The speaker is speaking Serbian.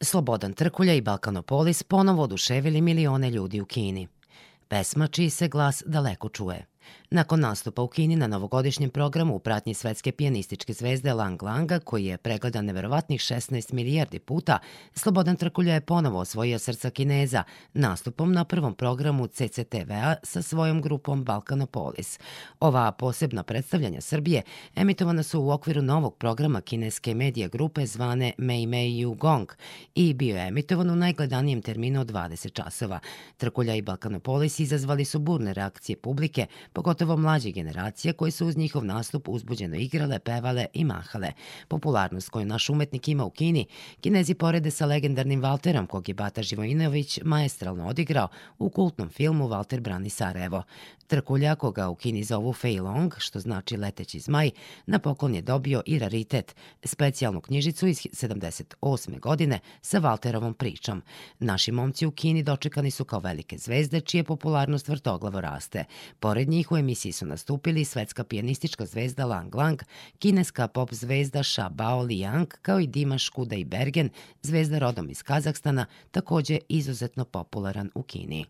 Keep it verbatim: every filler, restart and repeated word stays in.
Slobodan Trkulja i Balkanopolis ponovo oduševili milione ljudi u Kini. Pesma čiji se glas daleko čuje. Nakon nastupa u Kini na novogodišnjem programu u pratnji svetske pijanističke zvezde Lang Langa, koji je pregledan neverovatnih šesnaest milijardi puta, Slobodan Trkulja je ponovo osvojio srca Kineza nastupom na prvom programu C C T V-a sa svojom grupom Balkanopolis. Ova posebna predstavljanja Srbije emitovana su u okviru novog programa kineske medija grupe zvane Mei Mei Yu Gong i bio je emitovan u najgledanijem terminu od dvadeset časova. Trkulja i Balkanopolis izazvali su burne reakcije publike, pogotovo mlađe generacije koje su uz njihov nastup uzbuđeno igrale, pevale i mahale. Popularnost koju naš umetnik ima u Kini, Kinezi porede sa legendarnim Valterom, kog je Bata Živojinović maestralno odigrao u kultnom filmu Valter brani Sarajevo. Trkulja, koga u Kini zovu Fei Long, što znači leteći zmaj, na poklon je dobio i raritet, specijalnu knjižicu iz sedamdeset osme godine sa Valterovom pričom. Naši momci u Kini dočekani su kao velike zvezde, čije popularnost vrtoglavo raste. Pored njih u emisiji su nastupili svetska pijanistička zvezda Lang Lang, kineska pop zvezda Sha Bao Liang, kao i Dimash Kudaibergen, zvezda rodom iz Kazahstana, takođe izuzetno popularan u Kini.